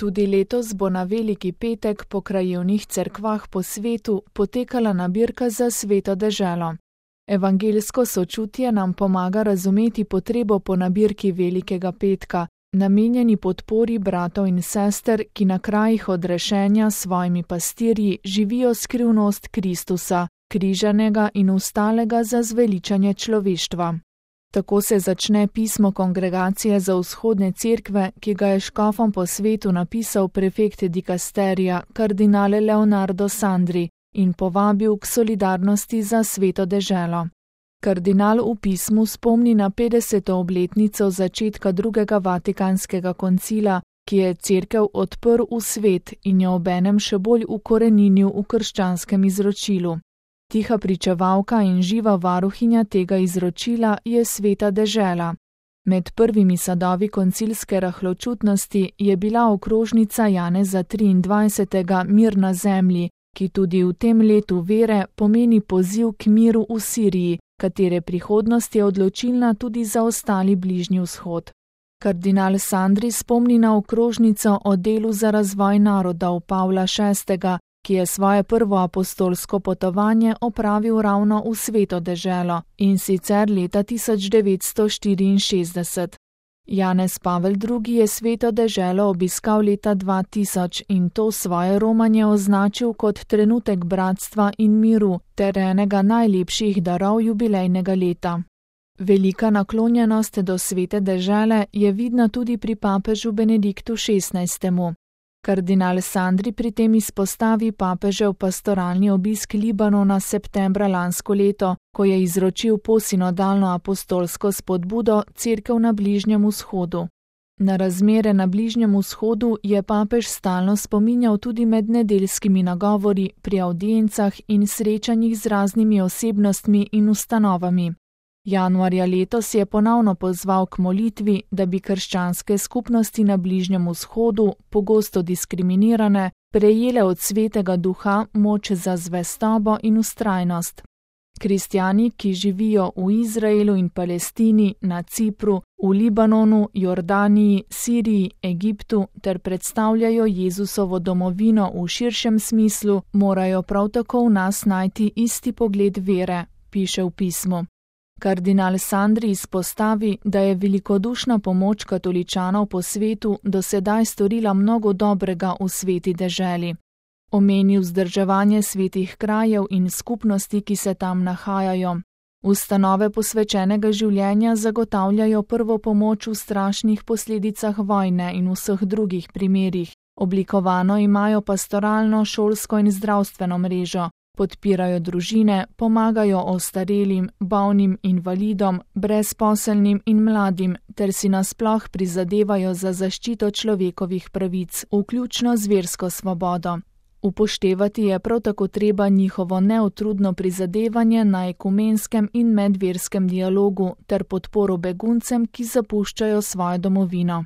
Tudi letos bo na Veliki petek po krajevnih cerkvah po svetu potekala nabirka za Sveto deželo. Evangeljsko sočutje nam pomaga razumeti potrebo po nabirki Velikega petka, namenjeni podpori bratov in sester, ki na krajih odrešenja s svojimi pastirji živijo skrivnost Kristusa, križanega in vstalega za zveličanje človeštva. Tako se začne pismo Kongregacije za vzhodne cerkve, ki ga je škofom po svetu napisal prefekt dikasterija kardinal Leonardo Sandri in povabil k solidarnosti za Sveto deželo. Kardinal v pismu spomni na 50. obletnico začetka drugega Vatikanskega koncila, ki je cerkev odprl v svet in jo obenem še bolj ukoreninil v krščanskem izročilu. Tiha pričevalka in živa varuhinja tega izročila je Sveta dežela. Med prvimi sadovi koncilske rahločutnosti je bila okrožnica Janeza 23. Mir na zemlji, ki tudi v tem letu vere pomeni poziv k miru v Siriji, katere prihodnost je odločilna tudi za ostali Bližnji vzhod. Kardinal Sandri spomni na okrožnico o delu za razvoj narodov Pavla VI., ki je svoje prvo apostolsko potovanje opravil ravno v Sveto deželo, in sicer leta 1964. Janez Pavel II. Je Sveto deželo obiskal leta 2000 in to svoje romanje označil kot trenutek bratstva in miru ter enega najlepših darov jubilejnega leta. Velika naklonjenost do Svete dežele je vidna tudi pri papežu Benediktu XVI. Kardinal Sandri pri tem izpostavi papežev pastoralni obisk Libanona septembra lansko leto, ko je izročil posinodalno apostolsko spodbudo cerkev na Bližnjem vzhodu. Na razmere na Bližnjem vzhodu je papež stalno spominjal tudi med nedeljskimi nagovori, pri avdiencah in srečanjih z raznimi osebnostmi in ustanovami. Januarja letos je ponovno pozval k molitvi, da bi krščanske skupnosti na Bližnjem vzhodu, pogosto diskriminirane, prejele od Svetega Duha moč za zvestobo in vztrajnost. Kristjani, ki živijo v Izraelu in Palestini, na Cipru, v Libanonu, Jordaniji, Siriji, Egiptu ter predstavljajo Jezusovo domovino v širšem smislu, morajo prav tako v nas najti isti pogled vere, piše v pismu. Kardinal Sandri izpostavi, da je velikodušna pomoč katoličanov po svetu do sedaj storila mnogo dobrega v Sveti deželi. Omeni vzdrževanje svetih krajev in skupnosti, ki se tam nahajajo. Ustanove posvečenega življenja zagotavljajo prvo pomoč v strašnih posledicah vojne in vseh drugih primerih. Oblikovano imajo pastoralno, šolsko in zdravstveno mrežo. Podpirajo družine, pomagajo ostarelim, bolnim, invalidom, brezposelnim in mladim ter si nasploh prizadevajo za zaščito človekovih pravic, vključno z versko svobodo. Upoštevati je prav tako treba njihovo neutrudno prizadevanje na ekumenskem in medverskem dialogu ter podporo beguncem, ki zapuščajo svojo domovino.